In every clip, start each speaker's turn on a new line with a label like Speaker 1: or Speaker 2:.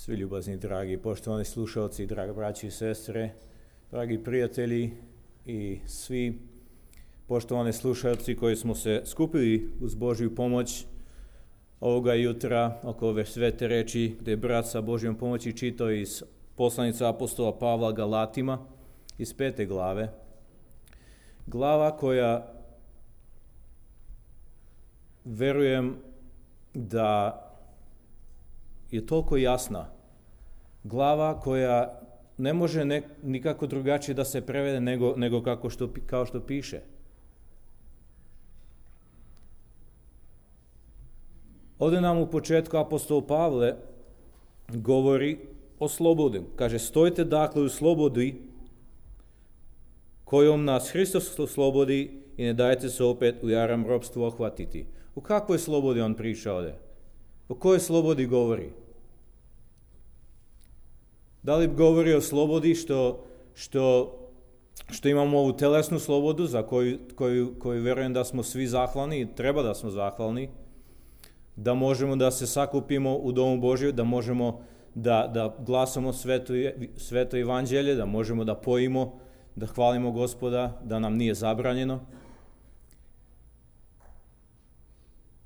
Speaker 1: Svi ljubazni, dragi, poštovani slušalci, dragi braći i sestre, dragi prijatelji i svi poštovani slušalci koji smo se skupili uz Božju pomoć ovoga jutra oko ove svete reči gdje je brat sa Božjom pomoći čitao iz poslanice apostola Pavla Galatima iz 5. glave. Glava koja verujem da je toliko jasna. Glava koja ne može nikako drugačije da se prevede nego kao što piše. Ovdje nam u početku apostol Pavle govori o slobodi. Kaže, stojite dakle u slobodi kojom nas Hristos oslobodi i ne dajte se opet u jaram ropstvu ohvatiti. U kakvoj slobodi on priča ovdje? O kojoj slobodi govori? Da li govori o slobodi što imamo ovu telesnu slobodu za koju vjerujem da smo svi zahvalni i treba da smo zahvalni, da možemo da se sakupimo u domu Božju, da možemo da glasamo sveto evanđelje, da možemo da pojimo, da hvalimo Gospoda, da nam nije zabranjeno.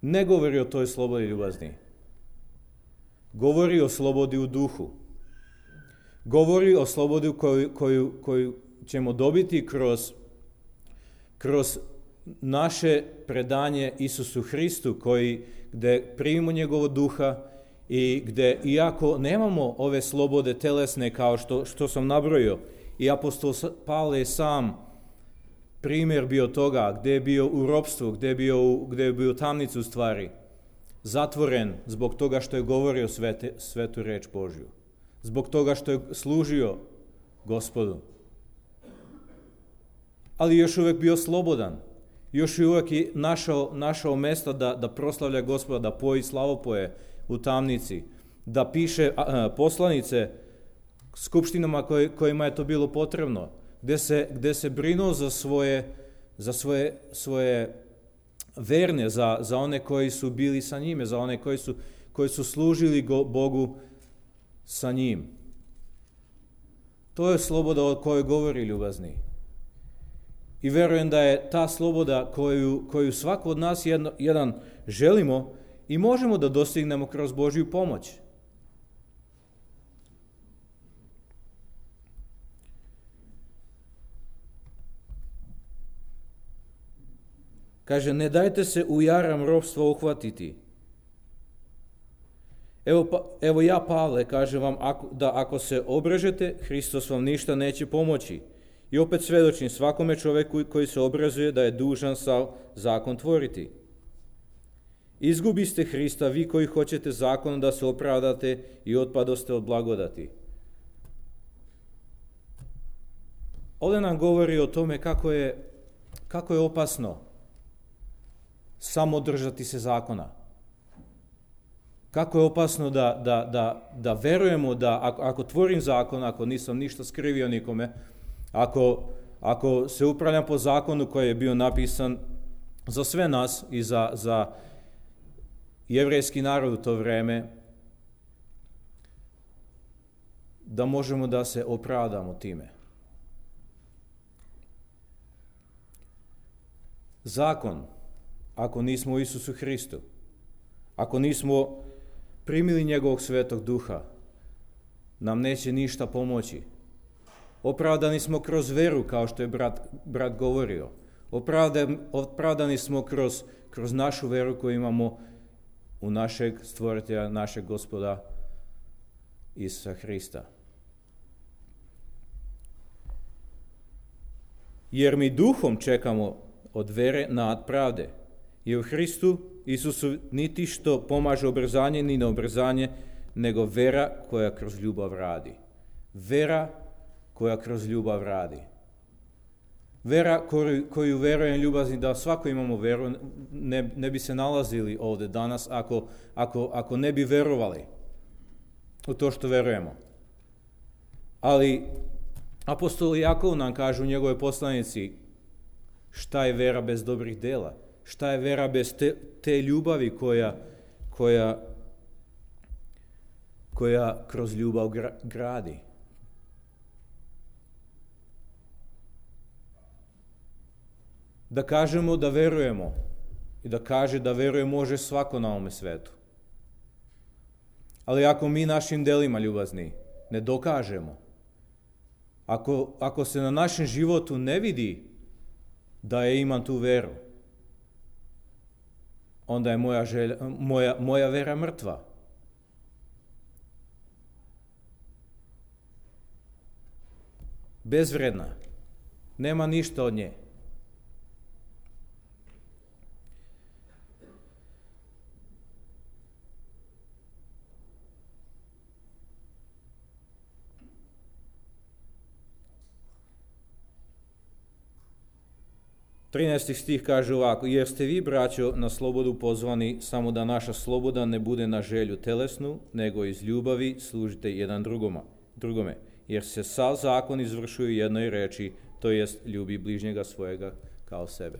Speaker 1: Ne govori o toj slobodi, ljubazni. Govori o slobodi u duhu. Govori o slobodi koju ćemo dobiti kroz naše predanje Isusu Hristu, gdje primimo njegovog duha i gdje, iako nemamo ove slobode telesne kao što sam nabrojio, i apostol Pavle je sam primjer bio toga, gdje je bio u ropstvu, gdje je bio u tamnicu stvari, zatvoren zbog toga što je govorio svetu reč Božju, zbog toga što je služio Gospodu. Ali još uvijek bio slobodan, još uvijek je našao mjesta da proslavlja Gospoda, da poji slavopoje u tamnici, da piše poslanice skupštinama kojima je to bilo potrebno, gdje se brinuo za svoje verne, za one koji su bili sa njime, za one koji su služili Bogu sa njim. To je sloboda o kojoj govori, ljubazni. I vjerujem da je ta sloboda koju svako od nas jedan želimo i možemo da dostignemo kroz Božju pomoć. Kaže, ne dajte se u jaram ropstva uhvatiti. Evo ja, Pavle, kažem vam da ako se obrežete, Hristos vam ništa neće pomoći. I opet svjedočim svakome čovjeku koji se obrazuje da je dužan sav zakon tvoriti. Izgubiste Hrista, vi koji hoćete zakonom da se opravdate i otpadoste od blagodati. Ovdje nam govori o tome kako je opasno samo držati se zakona. Kako je opasno da verujemo da ako tvorim zakon, ako nisam ništa skrivio nikome, ako se upravljam po zakonu koji je bio napisan za sve nas i za jevrejski narod u to vrijeme, da možemo da se opravdamo time. Zakon, ako nismo u Isusu Hristu, ako nismo primili njegovog svetog duha, nam neće ništa pomoći. Opravdani smo kroz veru, kao što je brat govorio. Opravdani smo kroz našu veru koju imamo u našeg stvoritelja, našeg Gospoda Isusa Hrista. Jer mi duhom čekamo od vere nad pravde. I u Hristu Isusu niti što pomaže obrzanje ni neobrzanje, nego vera koja kroz ljubav radi. Vera koja kroz ljubav radi. Vera koju verujem, ljubazni, da svako imamo veru, ne bi se nalazili ovdje danas ako ne bi verovali u to što verujemo. Ali apostol Jakov nam kaže u njegovoj poslanici šta je vera bez dobrih dela, šta je vera bez te ljubavi koja koja kroz ljubav gradi. Da kažemo da verujemo i da kaže da veruje može svako na ovome svetu. Ali ako mi našim delima, ljubazni, ne dokažemo, ako se na našem životu ne vidi da imam tu veru, onda je moja vera mrtva. Bezvredna. Nema ništa od nje. Trinaesti stih kaže ovako: jer ste vi, braćo, na slobodu pozvani, samo da naša sloboda ne bude na želju telesnu, nego iz ljubavi služite jedan drugome. Jer se sav zakon izvršuje u jednoj reči, to jest ljubi bližnjega svojega kao sebe.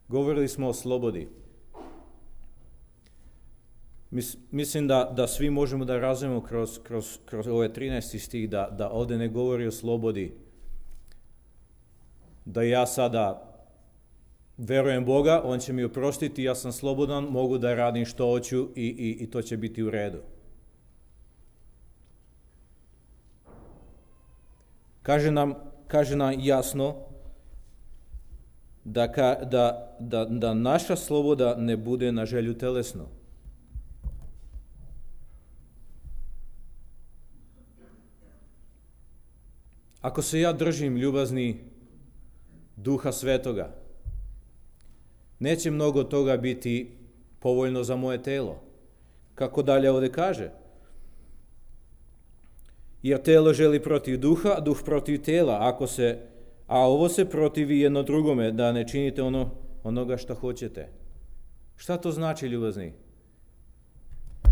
Speaker 1: Govorili smo o slobodi. Mislim da svi možemo da razumemo kroz ove 13. stih da ovdje ne govori o slobodi, da ja sada verujem Boga, On će mi oprostiti, ja sam slobodan, mogu da radim što hoću i to će biti u redu. Kaže nam jasno da naša sloboda ne bude na želju telesnu. Ako se ja držim, ljubazni, Duha Svetoga, neće mnogo toga biti povoljno za moje telo. Kako dalje ovdje kaže? Jer telo želi protiv duha, a duh protiv tela, a ovo se protivi jedno drugome, da ne činite onoga što hoćete. Šta to znači, ljubazni?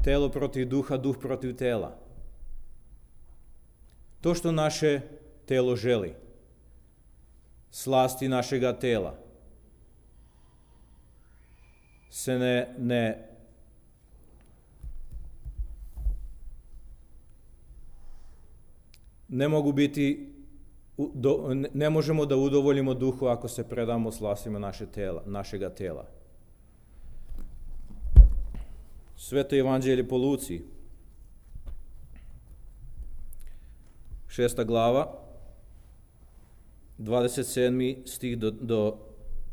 Speaker 1: Telo protiv duha, duh protiv tela. To što naše telo želi, slasti našega tela, se ne mogu biti, ne možemo da udovoljimo duhu ako se predamo slastima našega tela. Sveto evanđelje po Luci, 6. glava, 27. stih do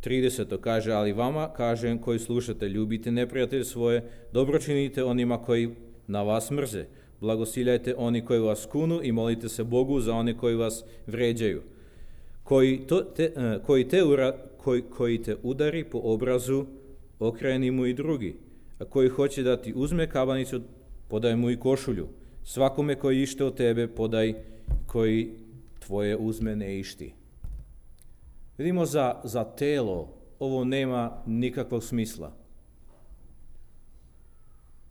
Speaker 1: 30. kaže: ali vama kažem koji slušate, ljubite neprijatelje svoje, dobro činite onima koji na vas mrze, blagosiljajte oni koji vas kunu i molite se Bogu za one koji vas vređaju. Koji te udari po obrazu, okreni mu i drugi, a koji hoće da ti uzme kabanicu, podaj mu i košulju. Svakome koji ište od tebe, podaj koji tvoje uzme ne išti. Vidimo za telo ovo nema nikakvog smisla.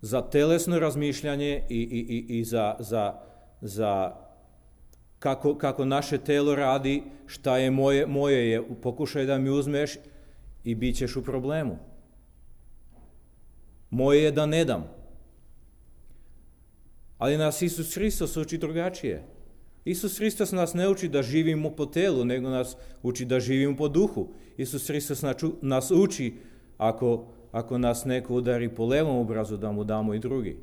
Speaker 1: Za telesno razmišljanje i za kako naše telo radi, šta je moje je, pokušaj da mi uzmeš i bit ćeš u problemu. Moje je da ne dam. Ali nas Isus Hristos uči drugačije. Isus Hristos nas ne uči da živimo po telu, nego nas uči da živimo po duhu. Isus Hristos nas uči ako nas neko udari po levom obrazu, da mu damo i drugi.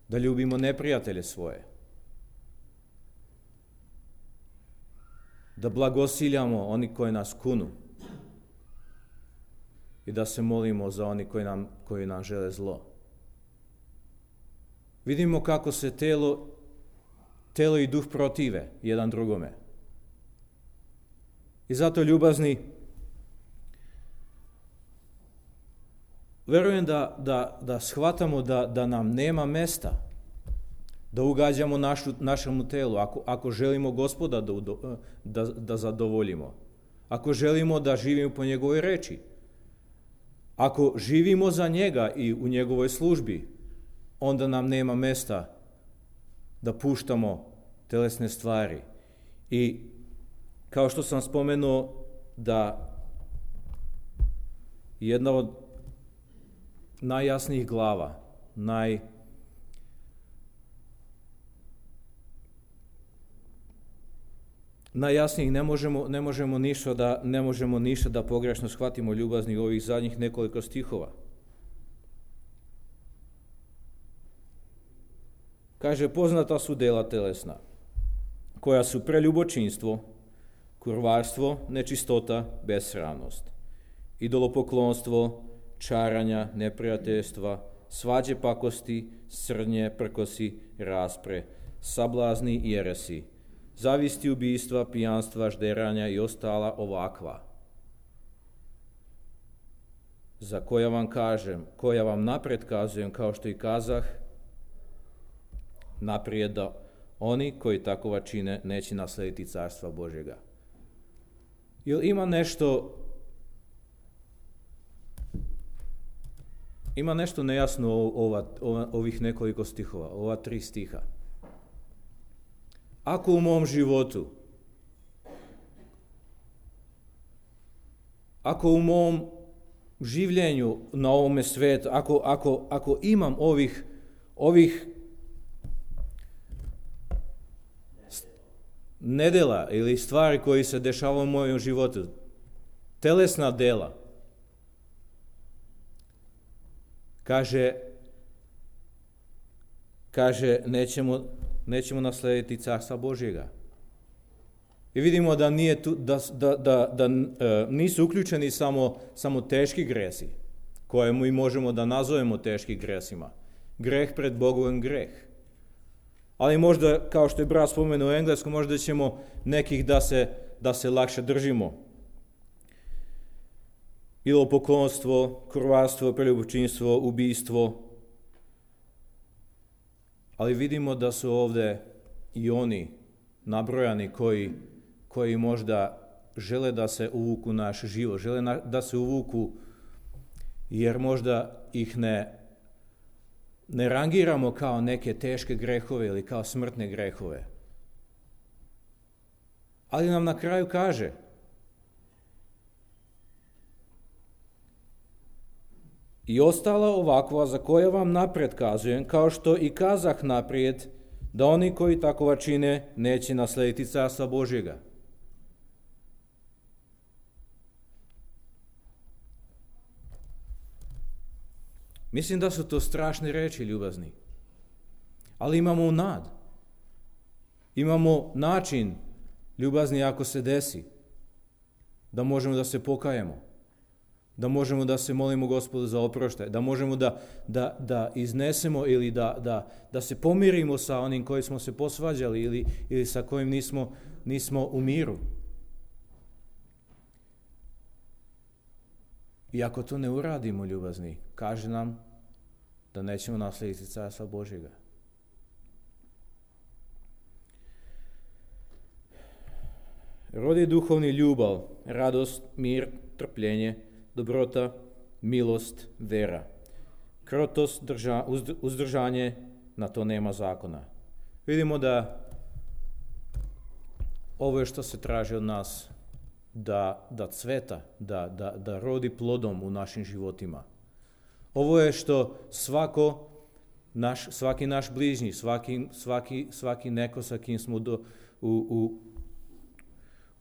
Speaker 1: Da ljubimo neprijatelje svoje. Da blagosiljamo oni koji nas kunu. I da se molimo za oni koji nam žele zlo. Vidimo kako se telo i duh protive jedan drugome. I zato, ljubazni, verujem da shvatamo da nam nema mesta da ugađamo našemu telu, ako želimo Gospoda da zadovoljimo, ako želimo da živimo po njegovoj reči, ako živimo za njega i u njegovoj službi, onda nam nema mesta da puštamo telesne stvari. I kao što sam spomenuo, da jedna od najjasnijih glava, najjasnijih, ne možemo ništa da pogrešno shvatimo, ljubazni, ovih zadnjih nekoliko stihova. Kaže, poznata su dela telesna, koja su preljubočinstvo, kurvarstvo, nečistota, besramnost, idolopoklonstvo, čaranja, neprijateljstva, svađe, pakosti, srdnje, prkosi, raspre, sablazni i jeresi, zavisti, ubijstva, pijanstva, žderanja i ostala ovakva, za koja vam napred kazujem, kao što i kazah, naprijed da oni koji takova čine neće naslediti carstva Božjega. Jel ima nešto nejasno ovih nekoliko stihova, ova 3 stiha? Ako u mom životu, ako u mom življenju na ovome svijetu, ako imam ovih nedjela ili stvari koji se dešavaju u mojem životu, telesna dela, kaže nećemo naslediti carstva Božjega. I vidimo da nije da nisu uključeni samo teški gresi, koje mi možemo da nazovemo teškim gresima. Greh pred Bogom greh. Ali možda, kao što je brat spomenuo u engleskom, možda ćemo nekih da se lakše držimo. Idolopoklonstvo, kurvarstvo, preljubočinstvo, ubijstvo. Ali vidimo da su ovdje i oni nabrojani koji možda žele da se uvuku naš život, žele da se uvuku jer možda ih ne rangiramo kao neke teške grehove ili kao smrtne grehove. Ali nam na kraju kaže, i ostala ovakva za koja vam naprijed kazujem, kao što i kazah naprijed, da oni koji takova čine neće naslediti carstva Božjega. Mislim da su to strašne reči, ljubazni. Ali imamo nad. Imamo način, ljubazni, ako se desi, da možemo da se pokajemo, da možemo da se molimo Gospodu za oproštaj, da možemo da iznesemo ili da se pomirimo sa onim koji smo se posvađali ili sa kojim nismo u miru. I ako to ne uradimo, ljubazni, kaže nam da nećemo naslediti carstva Božjega. Rodi duhovni ljubav, radost, mir, trpljenje, dobrota, milost, vera. Krotost, uzdržanje, na to nema zakona. Vidimo da ovo je što se traži od nas, da cveta, da rodi plodom u našim životima. Ovo je što svaki naš bližnji, svaki neko sa kim smo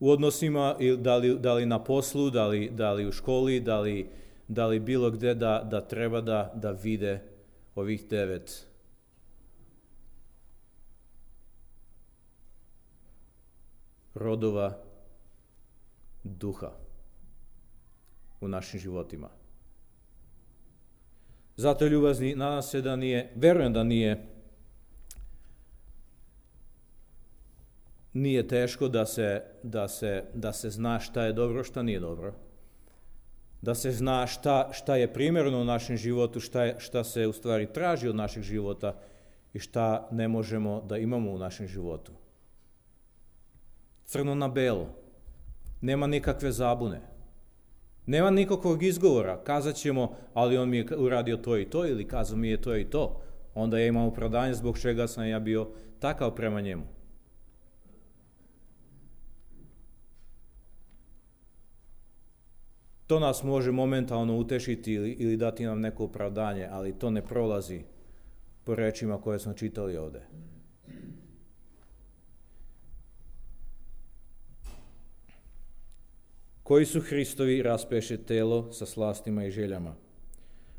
Speaker 1: u odnosima, da li na poslu, da li u školi, da li bilo gdje, da treba da vide ovih 9 rodova duha u našim životima. Zato, ljubazni, nadam se da verujem da nije teško da se zna šta je dobro, šta nije dobro. Da se zna šta je primjerno u našem životu, šta se u stvari traži od našeg života i šta ne možemo da imamo u našem životu. Crno na belo. Nema nikakve zabune. Nema nikakvog izgovora. Kazat ćemo, ali on mi je uradio to i to, ili kazao mi je to i to. Onda ja imam opravdanje zbog čega sam ja bio takav prema njemu. To nas može momentalno utešiti ili dati nam neko opravdanje, ali to ne prolazi po rečima koje smo čitali ovdje. Koji su Hristovi raspeše telo sa slastima i željama.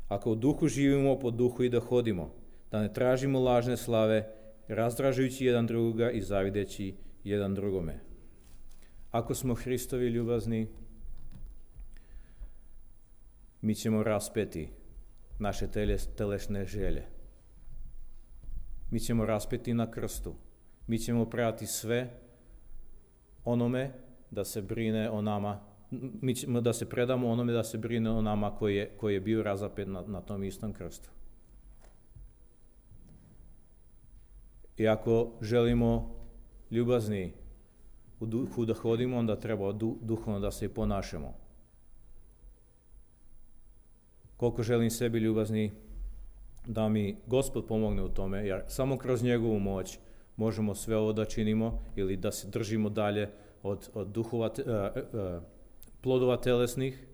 Speaker 1: Ako u duhu živimo, po duhu i da hodimo, da ne tražimo lažne slave, razdražujući jedan drugoga i zavideći jedan drugome. Ako smo Hristovi ljubazni, mi ćemo raspeti naše telesne želje. Mi ćemo raspeti na krstu. Mi ćemo prati sve onome da se brine o nama. Mi ćemo da se predamo onome da se brine o nama koji je bio razapet na tom istom krstu. I ako želimo ljubazni u duhu da hodimo, onda treba duhovno da se i ponašamo. Koliko želim sebi ljubazni, da mi Gospod pomogne u tome, jer samo kroz njegovu moć možemo sve ovo da činimo ili da se držimo dalje od duhova, plodova telesnih.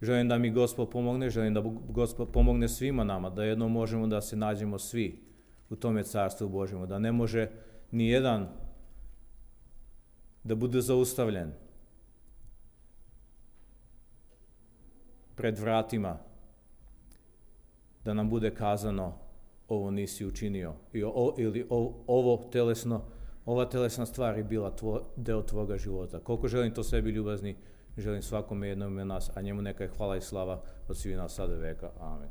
Speaker 1: Želim da mi Gospod pomogne, želim da Gospod pomogne svima nama, da jednom možemo da se nađemo svi u tome carstvu Božjemu, da ne može ni jedan da bude zaustavljen pred vratima, da nam bude kazano ovo nisi učinio ili ova telesna stvar je bila deo tvoga života. Koliko želim to sebi ljubazni, želim svakome jednom od nas, a njemu neka je hvala i slava od svih nas sada veka. Amen.